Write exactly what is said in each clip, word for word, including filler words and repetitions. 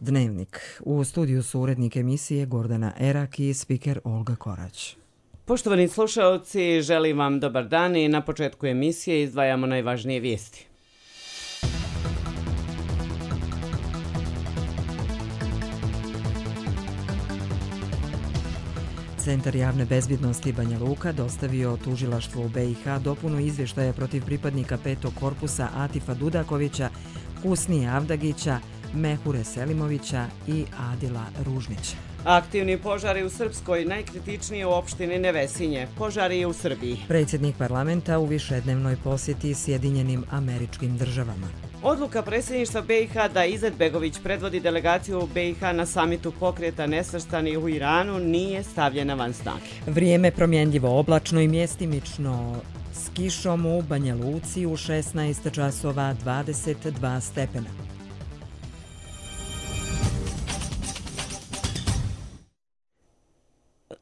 Dnevnik. U studiju su urednik emisije Gordana Erak i spiker Olga Korać. Poštovani slušaoci, želim vam dobar dan i na početku emisije izdvajamo najvažnije vijesti. Centar javne bezbjednosti Banja Luka dostavio tužilaštvu u B i H dopunu izvještaja protiv pripadnika petog korpusa Atifa Dudakovića, Husnije Avdagića, Mehure Selimovića i Adila Ružnića. Aktivni požari u Srpskoj, najkritičnije u opštini Nevesinje. Požari i u Srbiji. Predsjednik parlamenta u višednevnoj posjeti Sjedinjenim Američkim Državama. Odluka predsjedništva B i H da Izetbegović predvodi delegaciju B i H na samitu pokreta nesvrstanih u Iranu nije stavljena van snage. Vrijeme promjenljivo, oblačno i mjestimično s kišom u Banja Luci u šesnaest časova dvadeset dva stepena.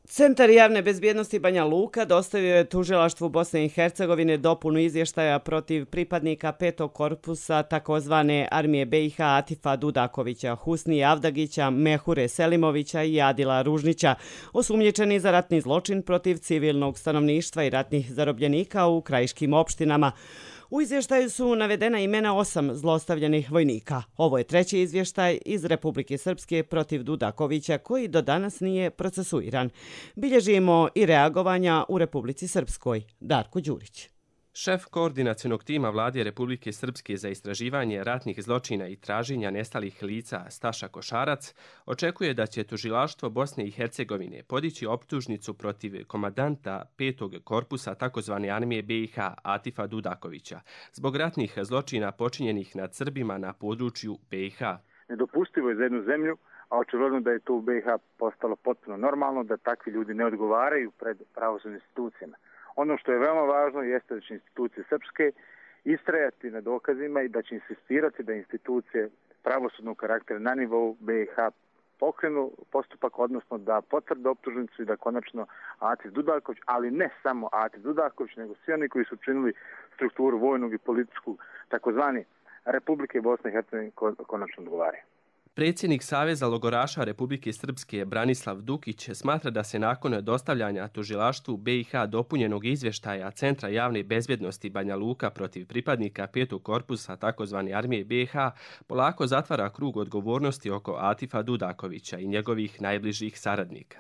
Centar javne bezbjednosti Banja Luka dostavio je tužilaštvu Bosne i Hercegovine dopunu izvještaja protiv pripadnika petog korpusa takozvane armije B i H Atifa Dudakovića, Husnije Avdagića, Mehure Selimovića i Adila Ružnića, osumnjičeni za ratni zločin protiv civilnog stanovništva i ratnih zarobljenika u krajiškim opštinama. U izvještaju su navedena imena osam zlostavljenih vojnika. Ovo je treći izvještaj iz Republike Srpske protiv Dudakovića koji do danas nije procesuiran. Bilježimo i reagovanja u Republici Srpskoj. Darko Đurić. Šef koordinacionog tima Vlade Republike Srpske za istraživanje ratnih zločina i traženja nestalih lica Staša Košarac očekuje da će tužilaštvo Bosne i Hercegovine podići optužnicu protiv komandanta petog korpusa tzv. Armije B i H Atifa Dudakovića zbog ratnih zločina počinjenih nad Srbima na području B i H. Nedopustivo je za jednu zemlju, a očigledno da je to u B i H postalo potpuno normalno da takvi ljudi ne odgovaraju pred pravosudnim institucijama. Ono što je veoma važno jeste da će institucije srpske istrajati na dokazima i da će insistirati da institucije pravosudnog karaktera na nivou B i H pokrenu postupak, odnosno da potvrde optužnicu i da konačno Atif Dudaković, ali ne samo Atif Dudaković, nego svi oni koji su činili strukturu vojnog i političku takozvani Republike Bosne i Hercegovine konačno odgovaraju. Predsjednik Saveza logoraša Republike Srpske Branislav Dukić smatra da se nakon dostavljanja tužilaštvu B i H dopunjenog izvještaja Centra javne bezbjednosti Banja Luka protiv pripadnika petog korpusa tzv. Armije B i H polako zatvara krug odgovornosti oko Atifa Dudakovića i njegovih najbližih saradnika.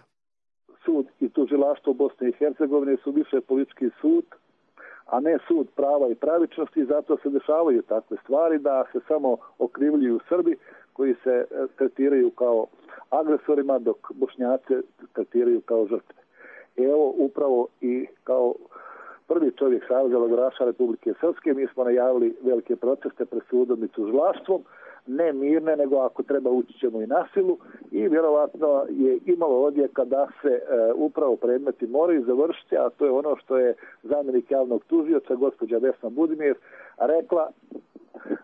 Sud i tužilaštvo Bosne i Hercegovine su više politički sud, a ne sud prava i pravičnosti, zato se dešavaju takve stvari da se samo okrivljuju Srbi koji se tretiraju kao agresorima, dok Bošnjaci tretiraju kao žrtve. Evo upravo i kao prvi čovjek Saveza logoraša Republike Srpske mi smo najavili velike proteste pred sudom i tužilaštvom, ne mirne, nego ako treba ući ćemo i na silu i vjerovatno je imalo odjeka da se e, upravo predmeti moraju završiti, a to je ono što je zamjenik javnog tužioca gospođa Vesna Budimir rekla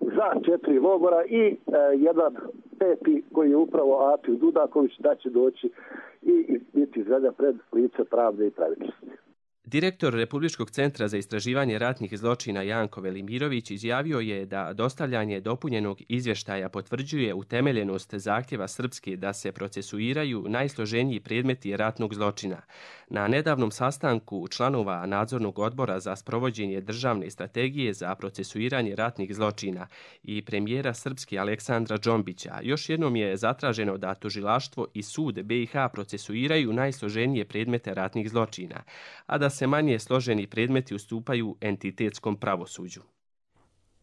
za četiri logora i e, jedan peti koji je upravo Atif Dudaković da će doći i biti izveden pred lice pravde i pravičnosti. Direktor Republičkog centra za istraživanje ratnih zločina Janko Velimirović izjavio je da dostavljanje dopunjenog izvještaja potvrđuje utemeljenost zahtjeva Srpske da se procesuiraju najsloženiji predmeti ratnog zločina. Na nedavnom sastanku članova nadzornog odbora za sprovođenje državne strategije za procesuiranje ratnih zločina i premijera Srpske Aleksandra Džombića još jednom je zatraženo da tužilaštvo i sud B i H procesuiraju najsloženije predmete ratnih zločina, a da se manje složeni predmeti ustupaju entitetskom pravosuđu.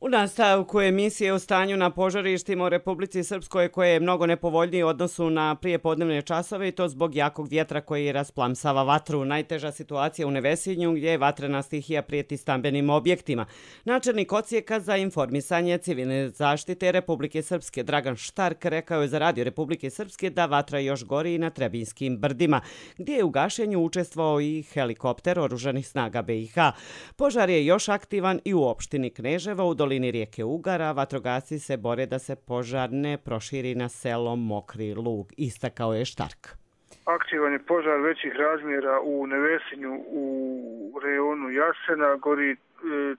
U nastavku emisije o stanju na požarištima u Republici Srpskoj koje je mnogo nepovoljnije u odnosu na prijepodnevne časove i to zbog jakog vjetra koji rasplamsava vatru. Najteža situacija u Nevesinju gdje je vatrena stihija prijeti stambenim objektima. Načelnik odsjeka za informisanje civilne zaštite Republike Srpske Dragan Štark rekao je za Radio Republike Srpske da vatra još gori i na Trebinskim brdima, gdje je u gašenju učestvovao i helikopter oružanih snaga B i H. Požar je još aktivan i u opštini Kneževo u dolini rijeke Ugara. Vatrogasci se bore da se požar ne proširi na selo Mokri Lug, istakao je Štark. Aktivan je požar većih razmjera u Nevesinju u rejonu Jasena, gori e,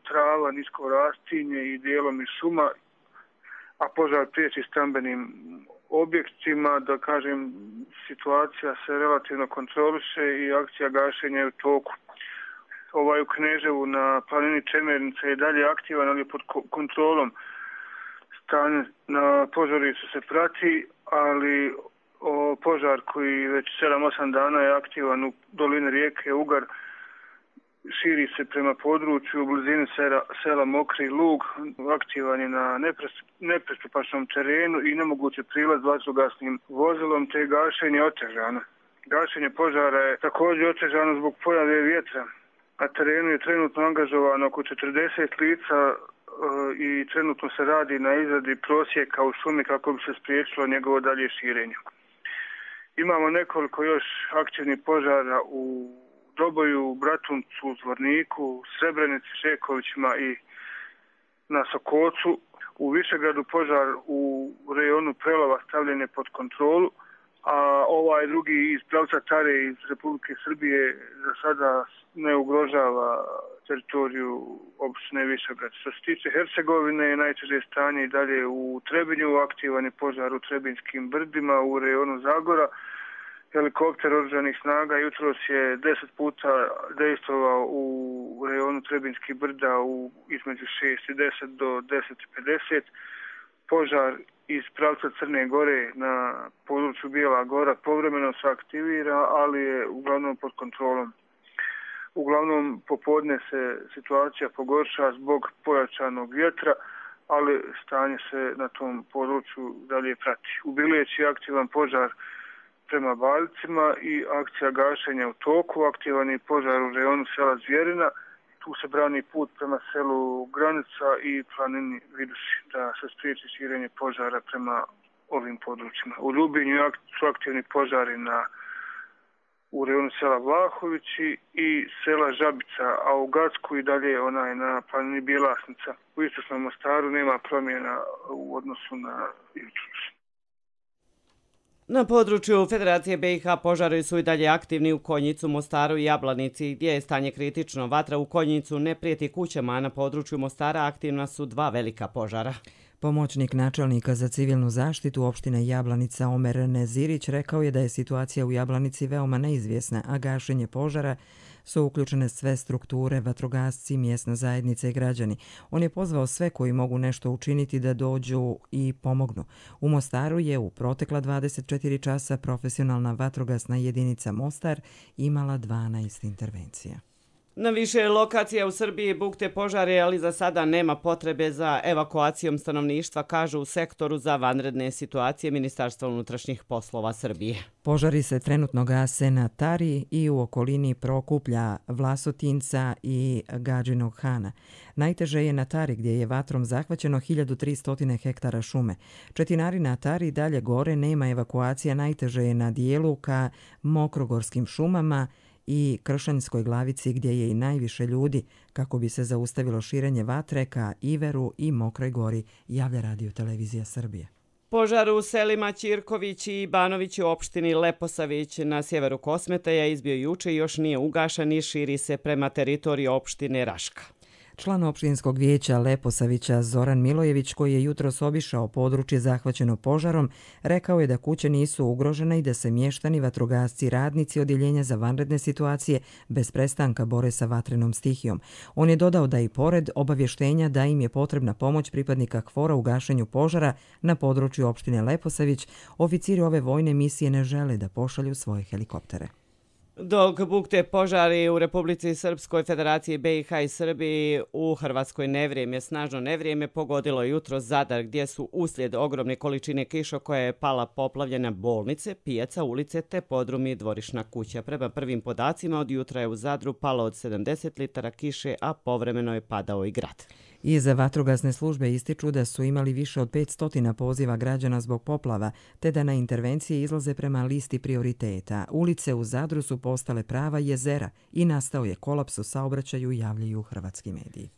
trava, nisko rastinje i dijelom i šuma, a požar priječi stambenim objektima, da kažem, situacija se relativno kontroliše i akcija gašenja je u toku. Ovaj u Kneževu na planini Čemernica je dalje aktivan, ali pod kontrolom. Stanje na požarištu se prati, ali o, požar koji već sedam osam dana je aktivan u dolini rijeke Ugar, širi se prema području u blizini sela, sela Mokri Lug, aktivan je na nepristupačnom terenu i nemoguće prilaz vatrogasnim vozilom, te gašenje otežano. Gašenje požara je također otežano zbog pojave vjetra. Na terenu je trenutno angažovano oko četrdeset lica e, i trenutno se radi na izradi prosjeka u šumi kako bi se spriječilo njegovo dalje širenje. Imamo nekoliko još aktivnih požara u Doboju, Bratuncu, Zvorniku, Srebrenici, Šekovićima i na Sokocu. U Višegradu požar u rejonu Prelova stavljen je pod kontrolu, a ovaj drugi iz pravca Tare iz Republike Srbije za sada ne ugrožava teritoriju opštine Višegrad. Što se tiče Hercegovine, najteže stanje i dalje u Trebinju, aktivan je požar u Trebinskim brdima u rejonu Zagora. Helikopter oružanih snaga jutros je deset puta dejstvovao u rejonu Trebinskih brda u između šest i deset do deset i pedeset. Požar iz pravca Crne Gore na području Bijela Gora povremeno se aktivira, ali je uglavnom pod kontrolom. Uglavnom popodne se situacija pogorša zbog pojačanog vjetra, ali stanje se na tom području dalje prati. U Bileći je aktivan požar prema Baljcima i akcija gašenja u toku, aktivan je požar u rejonu sela Zvjerina. Tu se brani put prema selu Granica i planini Viduši da se spriječi širenje požara prema ovim područjima. U Ljubinju su aktivni požari na u rejonu sela Vlahovići i sela Žabica, a u Gacku i dalje onaj na planini Bjelasnica. U istočnom Mostaru nema promjena u odnosu na jutros. Na području Federacije B i H požari su i dalje aktivni u Konjicu, Mostaru i Jablanici, gdje je stanje kritično. Vatra u Konjicu ne prijeti kućama, a na području Mostara aktivna su dva velika požara. Pomoćnik načelnika za civilnu zaštitu opštine Jablanica Omer Nezirić rekao je da je situacija u Jablanici veoma neizvjesna, a gašenje požara su uključene sve strukture, vatrogasci, mjesna zajednica i građani. On je pozvao sve koji mogu nešto učiniti da dođu i pomognu. U Mostaru je u protekla dvadeset četiri časa profesionalna vatrogasna jedinica Mostar imala dvanaest intervencija. Na više lokacija u Srbiji bukte požare, ali za sada nema potrebe za evakuacijom stanovništva, kažu u sektoru za vanredne situacije Ministarstva unutrašnjih poslova Srbije. Požari se trenutno gase na Tari i u okolini Prokuplja, Vlasotinca i Gadžinog Hana. Najteže je na Tari gdje je vatrom zahvaćeno hiljadu tristo hektara šume. Četinari na Tari dalje gore nema evakuacija, najteže je na dijelu ka Mokrogorskim šumama i Kršanjskoj glavici gdje je i najviše ljudi kako bi se zaustavilo širenje vatre ka Iveru i Mokroj gori, javlja Radio Televizija Srbije. Požar u selima Ćirković i Banović u opštini Leposavić na sjeveru Kosmetaja izbio juče i još nije ugašan i širi se prema teritoriji opštine Raška. Član opštinskog vijeća Leposavića Zoran Milojević, koji je jutros obišao područje zahvaćeno požarom, rekao je da kuće nisu ugrožene i da se mještani, vatrogasci, radnici odjeljenja za vanredne situacije bez prestanka bore sa vatrenom stihijom. On je dodao da i pored obavještenja da im je potrebna pomoć pripadnika KFOR-a u gašenju požara na području opštine Leposavić, oficiri ove vojne misije ne žele da pošalju svoje helikoptere. Dok bukte požari u Republici Srpskoj, Federaciji B i H i Srbiji, u Hrvatskoj nevrijeme, snažno nevrijeme pogodilo jutro Zadar, gdje su uslijed ogromne količine kiša koja je pala poplavljena bolnice, pijaca, ulice te podrumi i dvorišna kuća. Prema prvim podacima od jutra je u Zadru palo od sedamdeset litara kiše, a povremeno je padao i grad. Iz vatrogasne službe ističu da su imali više od petsto poziva građana zbog poplava, te da na intervencije izlaze prema listi prioriteta. Ulice u Zadru su postale prava jezera i nastao je kolaps u saobraćaju, javljaju hrvatski mediji.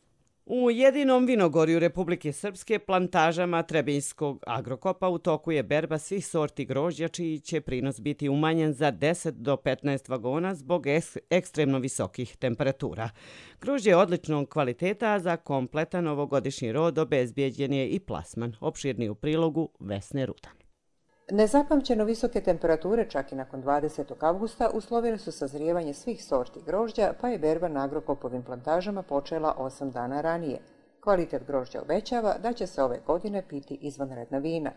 U jedinom vinogorju Republike Srpske, plantažama Trebinjskog agrokopa, u toku je berba svih sorti grožđa, čiji će prinos biti umanjen za deset do petnaest vagona zbog ekstremno visokih temperatura. Grožđe je odličnog kvaliteta, a za kompletan ovogodišnji rod obezbijeđen je i plasman. Opširni u prilogu Vesne Rudan. Nezapamćeno visoke temperature čak i nakon dvadesetog avgusta uslovile su sazrijevanje svih sorti grožđa, pa je berba na Agrokopovim plantažama počela osam dana ranije. Kvalitet grožđa obećava da će se ove godine piti izvanredna vina.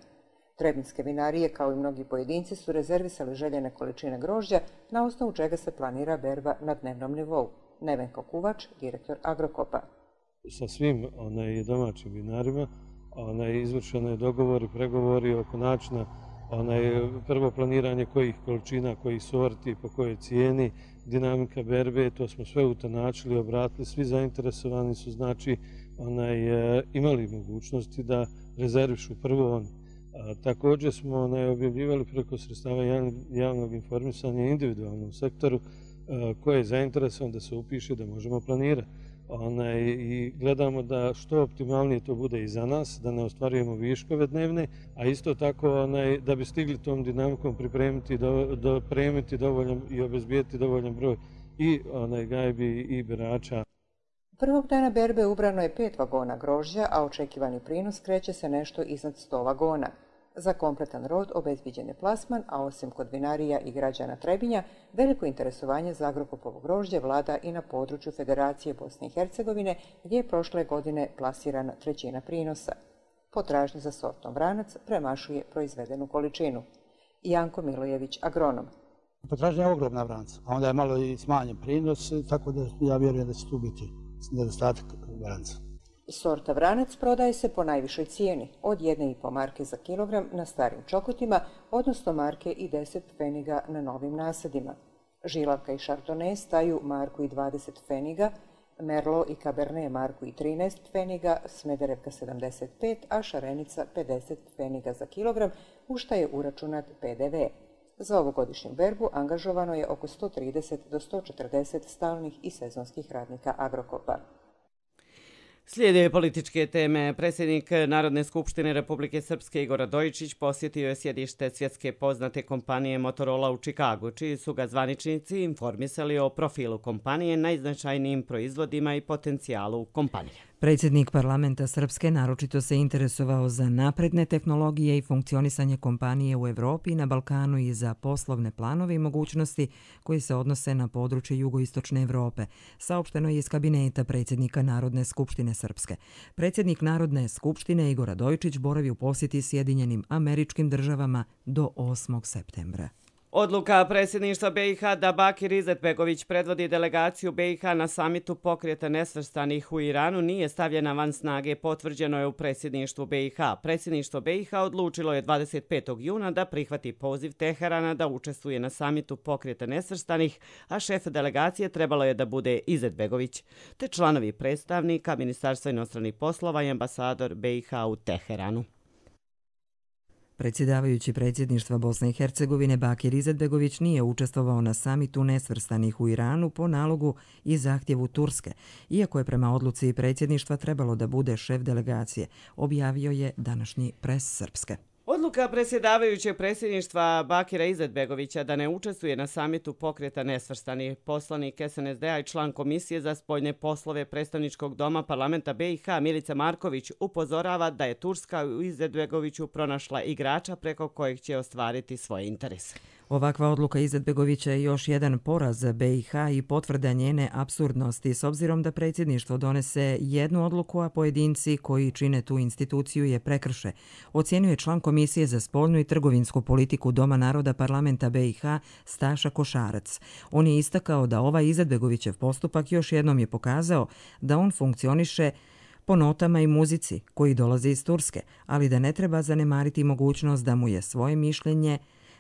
Trebinske vinarije, kao i mnogi pojedinci, su rezervisali željene količine grožđa, na osnovu čega se planira berba na dnevnom nivou. Nevenko Kuvač, direktor Agrokopa. Sa svim onaj, domaćim vinarima onaj, izvršeno je dogovori, pregovori oko načina onaj, prvo planiranje kojih količina, kojih sorti, po kojoj cijeni, dinamika berbe, to smo sve utanačili, obratili, svi zainteresovani su znači onaj, imali mogućnosti da rezervišu prvo oni. A, također smo onaj, objavljivali preko sredstava javnog informisanja individualnom sektoru a, koji je zainteresovan da se upiše da možemo planirati. Onaj, i gledamo da što optimalnije to bude i za nas, da ne ostvarujemo viškove dnevne, a isto tako onaj, da bi stigli tom dinamikom pripremiti, do, do, premiti dovoljan i obezbijeti dovoljan broj i onaj, gajbi i berača. Prvog dana berbe ubrano je pet vagona grožđa, a očekivani prinos kreće se nešto iznad sto vagona. Za kompletan rod obezbiđen je plasman, a osim kod vinarija i građana Trebinja, veliko interesovanje za Agrokopovo grožđe vlada i na području Federacije Bosne i Hercegovine, gdje je prošle godine plasirana trećina prinosa. Potražnja za sortom Vranac premašuje proizvedenu količinu. Janko Milojević, agronom. Potražnja je ogromna Vranca, a onda je malo i smanjen prinos, tako da ja vjerujem da će tu biti nedostatak Vranca. Sorta Vranac prodaje se po najvišoj cijeni, od jedne i po marke za kilogram na starim čokotima, odnosno marke i deset pfeniga na novim nasadima. Žilavka i Chardonnay staju marku i dvadeset pfeniga, Merlot i Cabernet marku i trinaest pfeniga, Smederevka sedamdeset pet, a Šarenica pedeset pfeniga za kilogram, u šta je uračunat pe de ve. Za ovogodišnju berbu angažovano je oko sto trideset do sto četrdeset stalnih i sezonskih radnika Agrokopa. Slijede političke teme. Predsjednik Narodne skupštine Republike Srpske Igor Radojičić posjetio je sjedište svjetske poznate kompanije Motorola u Čikagu, čiji su ga zvaničnici informisali o profilu kompanije, najznačajnijim proizvodima i potencijalu kompanije. Predsjednik parlamenta Srpske naročito se interesovao za napredne tehnologije i funkcionisanje kompanije u Evropi, na Balkanu i za poslovne planove i mogućnosti koji se odnose na područje jugoistočne Evrope, saopšteno je iz kabineta predsjednika Narodne skupštine Srpske. Predsjednik Narodne skupštine Igor Radojičić boravi u posjeti Sjedinjenim Američkim Državama do osmog septembra. Odluka predsjedništva be i ha da Bakir Izetbegović predvodi delegaciju be i ha na samitu pokreta nesvrstanih u Iranu nije stavljena van snage, potvrđeno je u predsjedništvu be i ha. Predsjedništvo be i ha odlučilo je dvadeset petog juna da prihvati poziv Teherana da učestvuje na samitu pokreta nesvrstanih, a šef delegacije trebalo je da bude Izetbegović, te članovi predstavnika Ministarstva inostranih poslova i ambasador be i ha u Teheranu. Predsjedavajući predsjedništva Bosne i Hercegovine Bakir Izetbegović nije učestvovao na samitu nesvrstanih u Iranu po nalogu i zahtjevu Turske, iako je prema odluci predsjedništva trebalo da bude šef delegacije, objavio je današnji Pres Srpske. Odluka predsjedavajućeg predsjedništva Bakira Izetbegovića da ne učestvuje na samitu pokreta nesvrstanih, poslanik es en es de a i član Komisije za spoljne poslove predstavničkog doma parlamenta be i ha Milica Marković upozorava da je Turska u Izetbegoviću pronašla igrača preko kojeg će ostvariti svoje interese. Ovakva odluka Izetbegovića je još jedan poraz za be i ha i potvrda njene apsurdnosti, s obzirom da predsjedništvo donese jednu odluku, a pojedinci koji čine tu instituciju je prekrše, ocjenjuje član Komisije za spoljnu i trgovinsku politiku Doma naroda parlamenta be i ha Staša Košarac. On je istakao da ovaj Izetbegovićev postupak još jednom je pokazao da on funkcioniše po notama i muzici koji dolaze iz Turske, ali da ne treba zanemariti mogućnost da mu je svoje mišljenje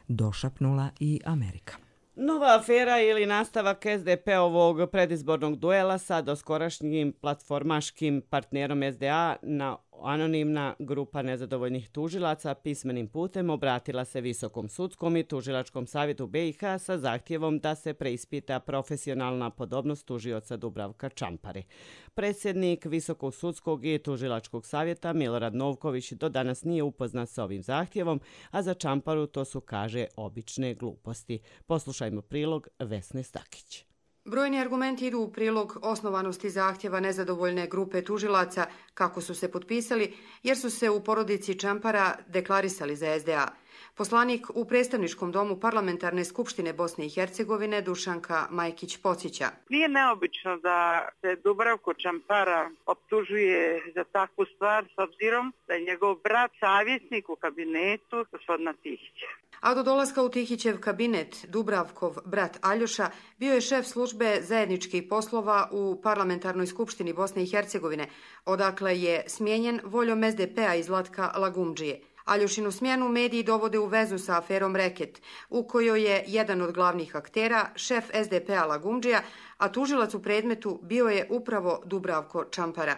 došapnula i Amerika. Nova afera ili nastavak es de pe-ovog predizbornog duela sa doskorašnjim platformaškim partnerom es de a na anonimna grupa nezadovoljnih tužilaca pismenim putem obratila se Visokom sudskom i tužilačkom savjetu be i ha sa zahtjevom da se preispita profesionalna podobnost tužioca Dubravka Čampare. Predsjednik Visokog sudskog i tužilačkog savjeta Milorad Novković do danas nije upoznat sa ovim zahtjevom, a za Čamparu to su, kaže, obične gluposti. Poslušajmo prilog Vesne Stakić. Brojni argumenti idu u prilog osnovanosti zahtjeva nezadovoljne grupe tužilaca kako su se potpisali, jer su se u porodici Čampara deklarisali za es de a. Poslanik u predstavničkom domu Parlamentarne skupštine Bosne i Hercegovine Dušanka Majkić podsjeća. Nije neobično da se Dubravko Čampara optužuje za takvu stvar s obzirom da je njegov brat savjetnik u kabinetu gospodina Tihića. A do dolaska u Tihićev kabinet Dubravkov brat Aljoša bio je šef službe zajedničkih poslova u Parlamentarnoj skupštini Bosne i Hercegovine, odakle je smijenjen voljom es de pe-a iz Zlatka Lagumdžije. Aljošinu smjenu mediji dovode u vezu sa aferom Reket, u kojoj je jedan od glavnih aktera šef es de pe-a Lagumdžija, a tužilac u predmetu bio je upravo Dubravko Čampara.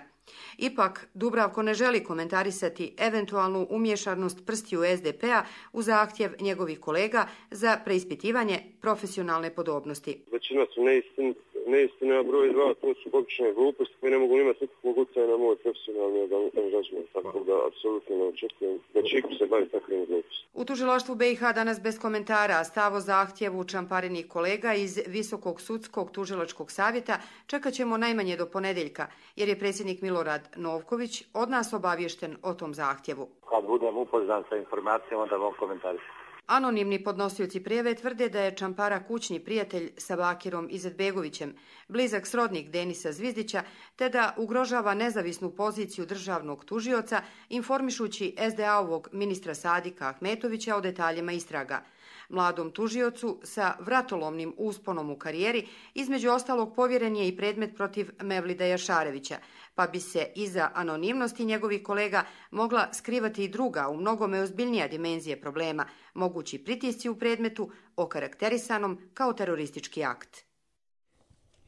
Ipak, Dubravko ne želi komentarisati eventualnu umješanost prstiju es de pe-a u zahtjev njegovih kolega za preispitivanje profesionalne podobnosti. Većina su neistin, neistine, a broj dva, to su obične gluposti koje ne mogu imati nikakvog utjecaja na moj profesionalni angažman, tako da apsolutno ne očekujem da će iko se bavi takvim glupostima. U tužilaštvu be i ha danas bez komentara stav o zahtjevu Čamparinih kolega iz Visokog sudskog tužilačkog savjeta čekat ćemo najmanje do ponedeljka, jer je predsjednik Milorad Novković od nas obaviješten o tom zahtjevu. Kad budem upoznan sa informacijama, onda mogu komentarisati. Anonimni podnosioci prijave tvrde da je Čampara kućni prijatelj sa Bakirom Izetbegovićem, blizak srodnik Denisa Zvizdića, te da ugrožava nezavisnu poziciju državnog tužioca, informišući es de a-ovog ministra Sadika Ahmetovića o detaljima istraga. Mladom tužiocu sa vratolomnim usponom u karijeri, između ostalog povjeren je i predmet protiv Mevlida Jašarevića, pa bi se iza anonimnosti njegovih kolega mogla skrivati i druga, u mnogome ozbiljnija dimenzije problema, mogući pritisci u predmetu okarakterisanom kao teroristički akt.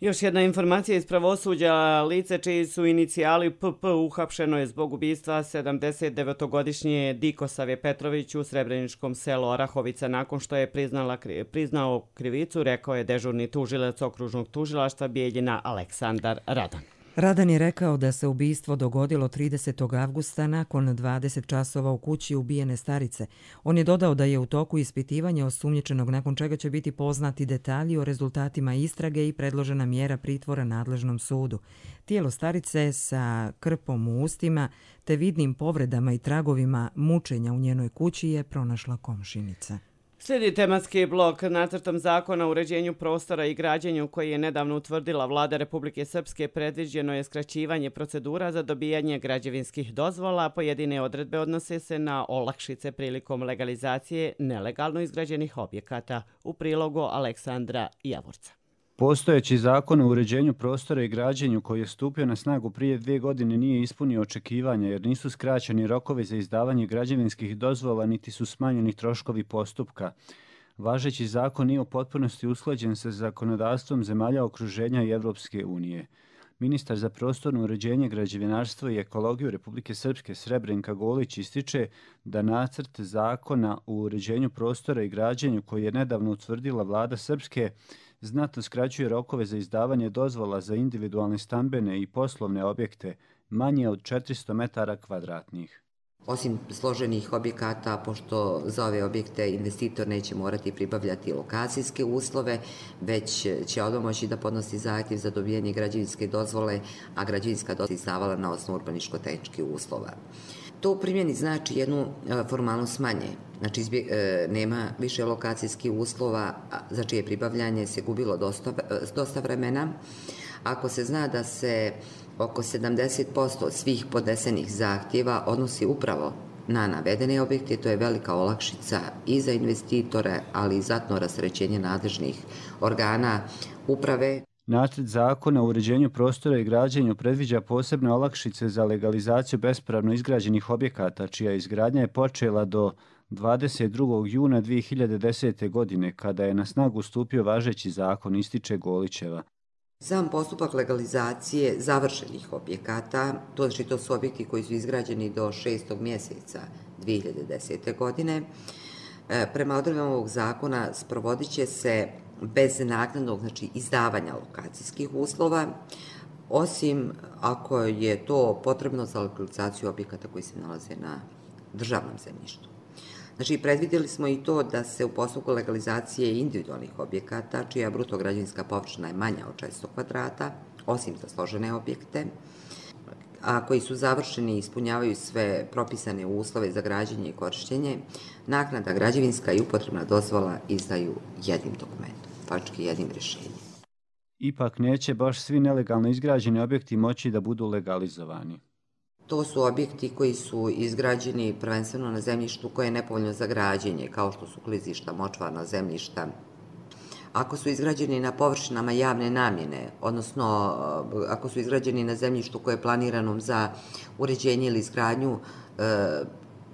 Još jedna informacija iz pravosuđa. Lice čiji su inicijali pe pe uhapšeno je zbog ubistva sedamdeset devetogodišnje Dikosave Petrović u srebreničkom selu Orahovica nakon što je priznala, priznao krivicu, rekao je dežurni tužilac okružnog tužilaštva Bijeljina Aleksandar Radan. Radan je rekao da se ubistvo dogodilo tridesetog avgusta nakon dvadeset časova u kući ubijene starice. On je dodao da je u toku ispitivanja osumnjičenog, nakon čega će biti poznati detalji o rezultatima istrage i predložena mjera pritvora nadležnom sudu. Tijelo starice sa krpom u ustima te vidnim povredama i tragovima mučenja u njenoj kući je pronašla komšinica. Slijedi tematski blok. Nacrtom zakona o uređenju prostora i građenju koji je nedavno utvrdila Vlada Republike Srpske predviđeno je skraćivanje procedura za dobijanje građevinskih dozvola. Pojedine odredbe odnose se na olakšice prilikom legalizacije nelegalno izgrađenih objekata. U prilogu Aleksandra Javorca. Postojeći zakon o uređenju prostora i građenju koji je stupio na snagu prije dvije godine nije ispunio očekivanja jer nisu skraćeni rokovi za izdavanje građevinskih dozvola niti su smanjeni troškovi postupka. Važeći zakon nije u potpunosti usklađen sa zakonodavstvom zemalja okruženja i Evropske unije. Ministar za prostorno uređenje, građevinarstvo i ekologiju Republike Srpske Srebrenka Golić ističe da nacrt zakona o uređenju prostora i građenju koji je nedavno utvrdila Vlada Srpske znatno skraćuje rokove za izdavanje dozvola za individualne stambene i poslovne objekte manje od četiristo metara kvadratnih. Osim složenih objekata, pošto za ove objekte investitor neće morati pribavljati lokacijske uslove, već će odmah moći da podnosi zahtjev za dobijanje građevinske dozvole, a građevinska dozvola je izdavala na osnovu urbaničko-tehničkih uslova. To u primjeni znači jednu formalnost manje. Znači, nema više lokacijskih uslova za čije pribavljanje se gubilo dosta, dosta vremena. Ako se zna da se oko sedamdeset posto svih podnesenih zahtjeva odnosi upravo na navedene objekte, to je velika olakšica i za investitore, ali i znatno rasterećenje nadležnih organa uprave. Nacrt zakona o uređenju prostora i građenju predviđa posebne olakšice za legalizaciju bespravno izgrađenih objekata, čija izgradnja je počela do dvadeset drugog juna dvije hiljade desete. godine, kada je na snagu stupio važeći zakon, ističe Golićeva. Sam postupak legalizacije završenih objekata, to znači to su objekti koji su izgrađeni do šestog mjeseca dvije hiljade desete. godine, prema odredbama ovog zakona sprovodit će se bez naknadnog, znači izdavanja lokacijskih uslova, osim ako je to potrebno za legalizaciju objekata koji se nalaze na državnom zemljištu. Znači, predvidjeli smo i to da se u postupku legalizacije individualnih objekata, čija bruto građevinska površina je manja od četiristo kvadrata, osim za složene objekte, a koji su završeni i ispunjavaju sve propisane uslove za građenje i korištenje, naknada građevinska i upotrebna dozvola izdaju jednim dokumentom, faktički jednim rješenjem. Ipak neće baš svi nelegalno izgrađeni objekti moći da budu legalizovani. To su objekti koji su izgrađeni prvenstveno na zemljištu koje je nepovoljno za građenje, kao što su klizišta, močvarna zemljišta. Ako su izgrađeni na površinama javne namjene, odnosno ako su izgrađeni na zemljištu koje je planirano za uređenje ili izgradnju e,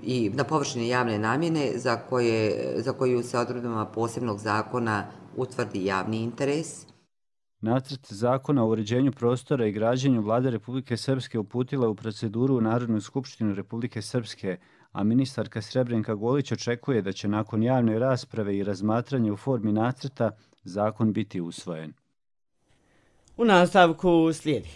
i na površine javne namjene za, koje, za koju se odredbama posebnog zakona utvrdi javni interes. Nacrt zakona o uređenju prostora i građenju Vlade Republike Srpske uputila u proceduru u Narodnu skupštinu Republike Srpske, a ministarka Srebrenka Golić očekuje da će nakon javne rasprave i razmatranja u formi nacrta zakon biti usvojen. U nastavku slijedi.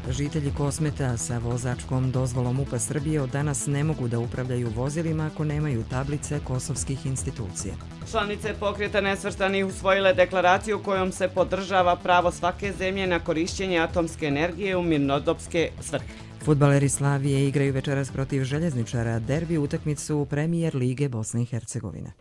Žitelji Kosmeta sa vozačkom dozvolom M U P-a Srbije od danas ne mogu da upravljaju vozilima ako nemaju tablice kosovskih institucija. Članice Pokreta nesvrstanih usvojile deklaraciju kojom se podržava pravo svake zemlje na korišćenje atomske energije u mirnodopske svrhe. Fudbaleri Slavije igraju večeras protiv Željezničara derbi utakmicu Premijer Lige Bosne i Hercegovine.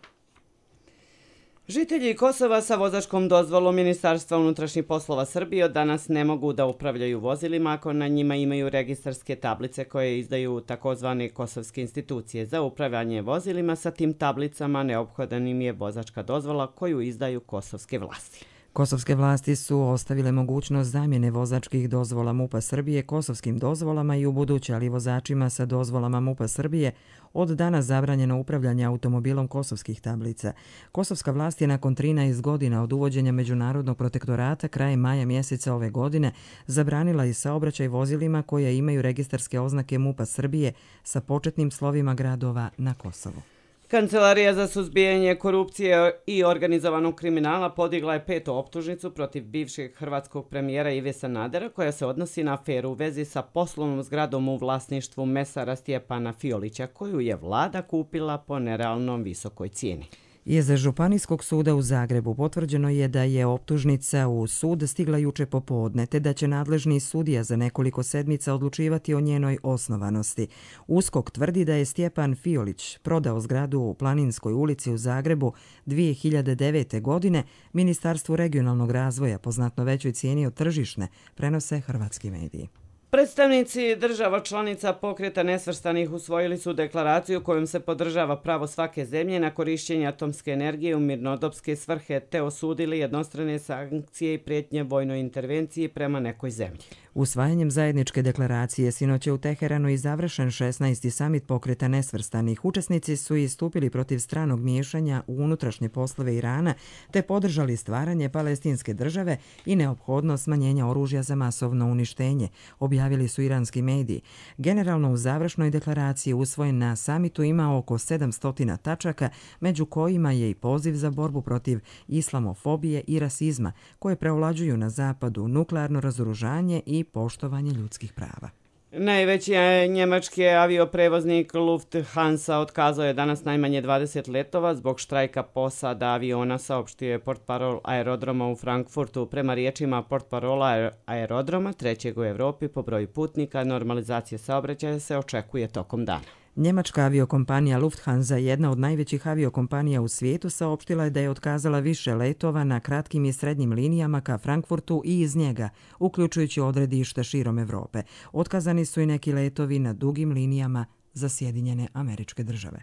Žitelji Kosova sa vozačkom dozvolom Ministarstva unutrašnjih poslova Srbije od danas ne mogu da upravljaju vozilima ako na njima imaju registarske tablice koje izdaju takozvane kosovske institucije. Za upravljanje vozilima sa tim tablicama neophodan im je vozačka dozvola koju izdaju kosovske vlasti. Kosovske vlasti su ostavile mogućnost zamjene vozačkih dozvola M U P-a Srbije kosovskim dozvolama i u buduće, ali vozačima sa dozvolama M U P-a Srbije od danas zabranjeno upravljanje automobilom kosovskih tablica. Kosovska vlast je nakon trinaest godina od uvođenja međunarodnog protektorata krajem maja mjeseca ove godine zabranila i saobraćaj vozilima koje imaju registarske oznake M U P-a Srbije sa početnim slovima gradova na Kosovu. Kancelarija za suzbijanje korupcije i organizovanog kriminala podigla je petu optužnicu protiv bivšeg hrvatskog premijera Ive Sanadera koja se odnosi na aferu u vezi sa poslovnom zgradom u vlasništvu mesara Stjepana Fiolića koju je vlada kupila po nerealno visokoj cijeni. Iz Županijskog suda u Zagrebu potvrđeno je da je optužnica u sud stigla juče popodne, te da će nadležni sudija za nekoliko sedmica odlučivati o njenoj osnovanosti. USKOK tvrdi da je Stjepan Fiolić prodao zgradu u Planinskoj ulici u Zagrebu dvije hiljade devete. godine Ministarstvu regionalnog razvoja po znatno većoj cijeni od tržišne, prenose hrvatski mediji. Predstavnici država članica Pokreta nesvrstanih usvojili su deklaraciju kojom se podržava pravo svake zemlje na korišćenje atomske energije u mirnodopske svrhe te osudili jednostrane sankcije i prijetnje vojnoj intervenciji prema nekoj zemlji. Usvajanjem zajedničke deklaracije sinoć je u Teheranu i završen šesnaesti samit Pokreta nesvrstanih. Učesnici su istupili protiv stranog miješanja u unutrašnje poslove Irana te podržali stvaranje palestinske države i neophodnost smanjenja oružja za masovno uništenje, objavili su iranski mediji. Generalno u završnoj deklaraciji usvojen na samitu ima oko sedamsto tačaka, među kojima je i poziv za borbu protiv islamofobije i rasizma, koje preovlađuju na zapadu nuklearno razoružanje i poštovanje ljudskih prava. Najveći njemački avioprevoznik Lufthansa otkazao je danas najmanje dvadeset letova zbog štrajka posada aviona, saopštio je portparol aerodroma u Frankfurtu. Prema riječima portparola aerodroma, trećeg u Evropi po broju putnika, normalizacija saobraćaja se očekuje tokom dana. Njemačka aviokompanija Lufthansa, jedna od najvećih aviokompanija u svijetu, saopštila je da je otkazala više letova na kratkim i srednjim linijama ka Frankfurtu i iz njega, uključujući odredišta širom Evrope. Otkazani su i neki letovi na dugim linijama za Sjedinjene Američke Države.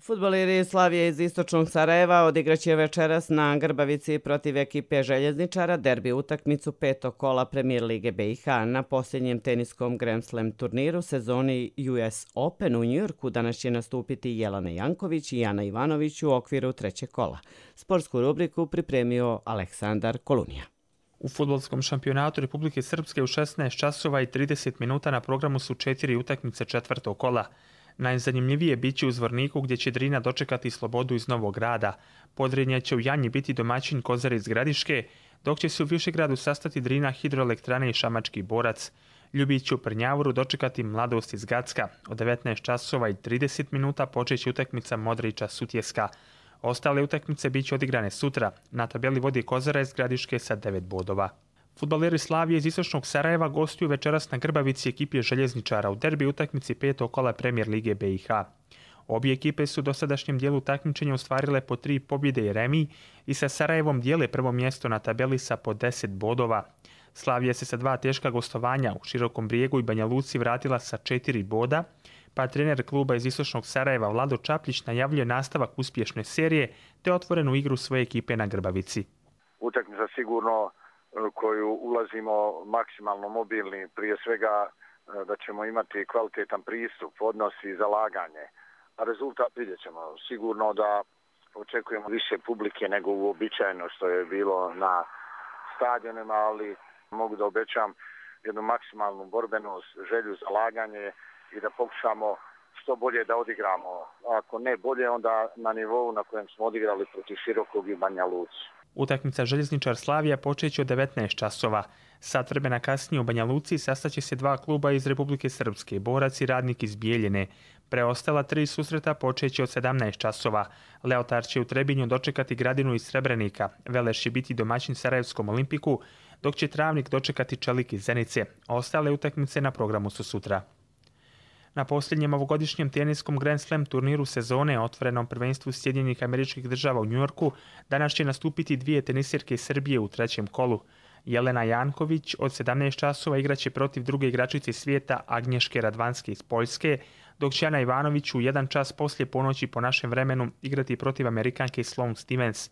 Fudbaleri Slavije iz istočnog Sarajeva odigraće večeras na Grbavici protiv ekipe Željezničara derbi utakmicu petog kola Premijer Lige B i H na posljednjem teniskom Grand Slam turniru sezoni U S Open u Njujorku. Danas će nastupiti Jelena Janković i Ana Ivanović u okviru trećeg kola. Sportsku rubriku pripremio Aleksandar Kolunija. U fudbalskom šampionatu Republike Srpske u šesnaest časova i trideset minuta na programu su četiri utakmice četvrtog kola. Najzanimljivije biće u Zvorniku gdje će Drina dočekati Slobodu iz Novog Grada. Podrinja će u Janji biti domaćin Kozare iz Gradiške, dok će se u Višegradu sastati Drina, Hidroelektrane i Šamački Borac. Ljubiću Prnjavoru dočekati Mladost iz Gacka. Od devetnaest časova i trideset minuta počeće utakmica Modrića Sutjeska. Ostale utakmice bit će odigrane sutra. Na tabeli vodi Kozara iz Gradiške sa devet bodova. Fudbaleri Slavije iz istočnog Sarajeva gostuju večeras na Grbavici ekipi Željezničara u derbi utakmici petog kola Premier lige B i H. Obje ekipe su u dosadašnjem dijelu takmičenja ostvarile po tri pobjede i remiji i sa Sarajevom dijele prvo mjesto na tabeli sa po deset bodova. Slavija se sa dva teška gostovanja u Širokom Brijegu i Banja Luci vratila sa četiri boda, pa trener kluba iz istočnog Sarajeva Vlado Čapljić najavljuje nastavak uspješne serije te otvorenu igru svoje ekipe na Grbavici. Utakmica sigurno koju ulazimo maksimalno mobilni, prije svega da ćemo imati kvalitetan pristup, odnos i zalaganje. A rezultat vidjet ćemo. Sigurno da očekujemo više publike nego uobičajeno što je bilo na stadionima, ali mogu da obećam jednu maksimalnu borbenost, želju, zalaganje i da pokušamo što bolje da odigramo. Ako ne bolje, onda na nivou na kojem smo odigrali protiv Širokog i Banja Luci. Utakmica Željezničar Slavija počeće od devetnaest časova. Sat vremena kasnije u Banja Luci sastaće se dva kluba iz Republike Srpske, Borac i Radnik iz Bijeljine. Preostala tri susreta počeće od sedamnaest časova. Leotar će u Trebinju dočekati Gradinu iz Srebrenika, Veleš će biti domaćin Sarajevskom Olimpiku, dok će Travnik dočekati Čelik iz Zenice. Ostale utakmice na programu su sutra. Na posljednjem ovogodišnjem teniskom Grand Slam turniru sezone otvorenom prvenstvu Sjedinjenih Američkih Država u Njujorku danas će nastupiti dvije tenisirke iz Srbije u trećem kolu. Jelena Janković od sedamnaest časova igraće protiv druge igračice svijeta Agnješke Radvanske iz Poljske, dok će Ana Ivanović u jedan čas poslije ponoći po našem vremenu igrati protiv Amerikanke Sloane Stevens.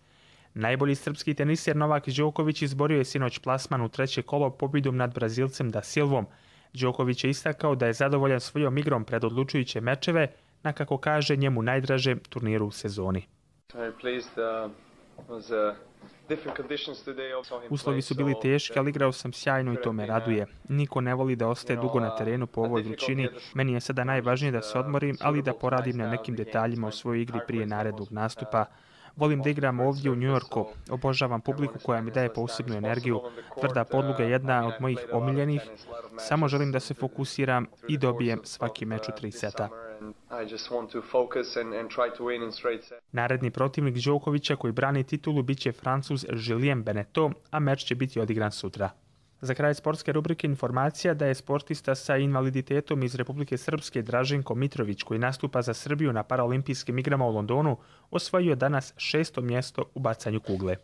Najbolji srpski tenisir Novak Đoković izborio je sinoć plasman u treće kolo pobjedom nad Brazilcem Da Silvom. Đoković je istakao da je zadovoljan svojom igrom pred odlučujuće mečeve na, kako kaže, njemu najdražem turniru u sezoni. Uslovi su bili teški, ali igrao sam sjajno i to me raduje. Niko ne voli da ostaje dugo na terenu po ovoj vrućini. Meni je sada najvažnije da se odmorim, ali da poradim na nekim detaljima u svojoj igri prije narednog nastupa. Volim da igram ovdje u Njujorku. Obožavam publiku koja mi daje posebnu energiju. Tvrda podloga je jedna od mojih omiljenih. Samo želim da se fokusiram i dobijem svaki meč u tri seta. Naredni protivnik Đokovića koji brani titulu biće Francuz Julien Beneteau, a meč će biti odigran sutra. Za kraj sportske rubrike informacija da je sportista sa invaliditetom iz Republike Srpske Draženko Mitrović, koji nastupa za Srbiju na paraolimpijskim igrama u Londonu, osvojio danas šesto mjesto u bacanju kugle.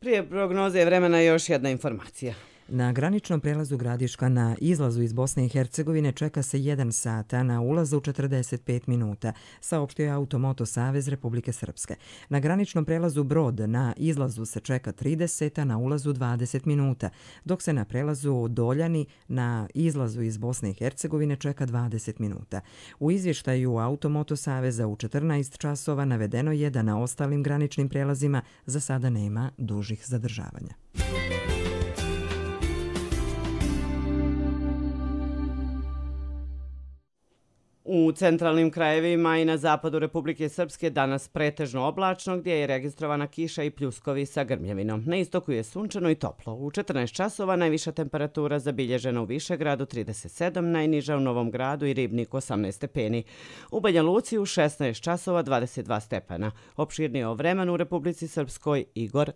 Prije prognoze vremena još jedna informacija. Na graničnom prelazu Gradiška na izlazu iz Bosne i Hercegovine čeka se jedan sat, a na ulazu četrdeset pet minuta, saopštio je Automoto Savez Republike Srpske. Na graničnom prelazu Brod na izlazu se čeka trideset, a na ulazu dvadeset minuta, dok se na prelazu Doljani na izlazu iz Bosne i Hercegovine čeka dvadeset minuta. U izvještaju Automoto Saveza u četrnaest časova navedeno je da na ostalim graničnim prelazima za sada nema dužih zadržavanja. U centralnim krajevima i na zapadu Republike Srpske danas pretežno oblačno, gdje je registrovana kiša i pljuskovi sa grmljevinom. Na istoku je sunčano i toplo. U četrnaest časova najviša temperatura zabilježena u Višegradu trideset sedam, najniža u Novom Gradu i Ribnik osamnaest stepeni. U Banja Luci u šesnaest časova dvadeset dva stepena. Opširnije o vremenu u Republici Srpskoj Igor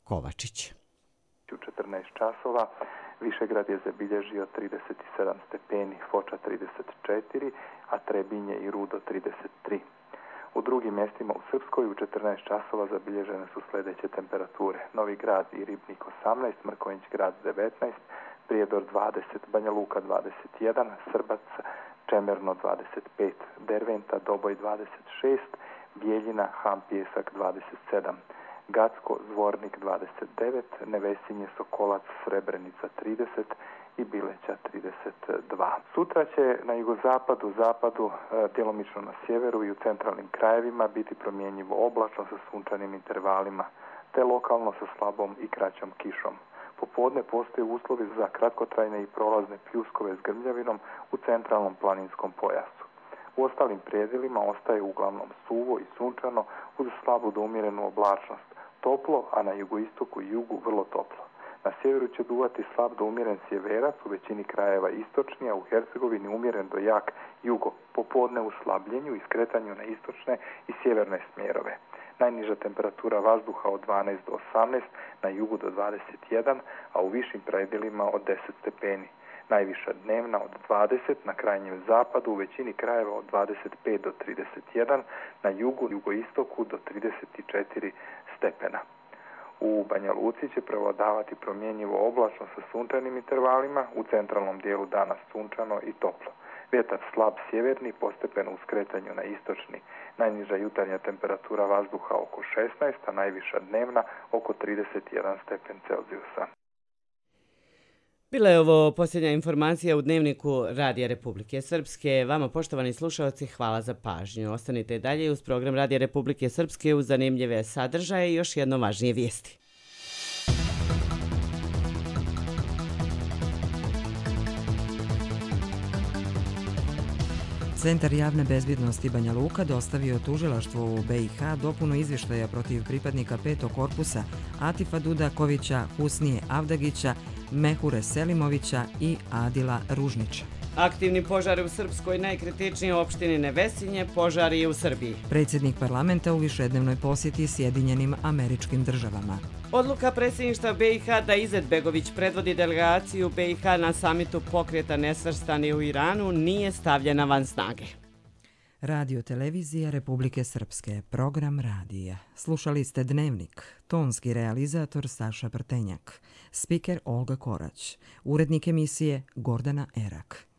Kovačić. U četrnaest časova Višegrad je zabilježio trideset sedam stepeni, Foča trideset četiri, a Trebinje i Rudo trideset tri. U drugim mjestima u Srpskoj u četrnaest časova zabilježene su sljedeće temperature. Novi Grad i Ribnik osamnaest, Mrkonjić Grad devetnaest, Prijedor dvadeset, Banja Luka dvadeset jedan, Srbac, Čemerno dvadeset pet, Derventa, Doboj dvadeset šest, Bijeljina, Ham Pijesak dvadeset sedam. Gacko, Zvornik dvadeset devet, Nevesinje, Sokolac, Srebrenica trideset i Bileća trideset dva. Sutra će na jugozapadu, zapadu, djelomično na sjeveru i u centralnim krajevima biti promjenjivo oblačno sa sunčanim intervalima, te lokalno sa slabom i kraćom kišom. Popodne postoje uslovi za kratkotrajne i prolazne pljuskove s grmljavinom u centralnom planinskom pojasu. U ostalim predjelima ostaje uglavnom suvo i sunčano uz slabu do umjerenu oblačnost. Toplo, a na jugoistoku i jugu vrlo toplo. Na sjeveru će duvati slab do umjeren sjeverac, u većini krajeva istočni, a u Hercegovini umjeren do jak jugo. Popodne u slabljenju i skretanju na istočne i sjeverne smjerove. Najniža temperatura vazduha od dvanaest do osamnaest, na jugu do dvadeset jedan, a u višim predjelima od deset stepeni. Najviša dnevna od dvadeset, na krajnjem zapadu, u većini krajeva od dvadeset pet do trideset jedan, na jugu i jugoistoku do trideset četiri stepena. U Banja Luci će prevladavati promjenjivo oblačno sa sunčanim intervalima, u centralnom dijelu dana sunčano i toplo. Vjetar slab sjeverni, postepeno u skretanju na istočni. Najniža jutarnja temperatura vazduha oko šesnaest, a najviša dnevna oko trideset jedan stepen Celzijusa. Bila je ovo posljednja informacija u Dnevniku Radija Republike Srpske. Vama, poštovani slušalci, hvala za pažnju. Ostanite dalje uz program Radija Republike Srpske uz zanimljive sadržaje i još jedno važnije vijesti. Centar javne bezbjednosti Banja Luka dostavio tužilaštvu u B i H dopunu izvještaja protiv pripadnika petog korpusa Atifa Dudakovića, Husnije Avdagića, Mehure Selimovića i Adila Ružnića. Aktivni požari u Srpskoj, najkritičnije opštini Nevesinje, požari u Srbiji. Predsjednik parlamenta u višednevnoj posjeti Sjedinjenim Američkim Državama. Odluka predsjedništva B i H da Izetbegović predvodi delegaciju B i H na samitu pokreta nesvrstani u Iranu nije stavljena van snage. Radio televizija Republike Srpske, program radija. Slušali ste Dnevnik, tonski realizator Saša Prtenjak, spiker Olga Korać, urednik emisije Gordana Erak.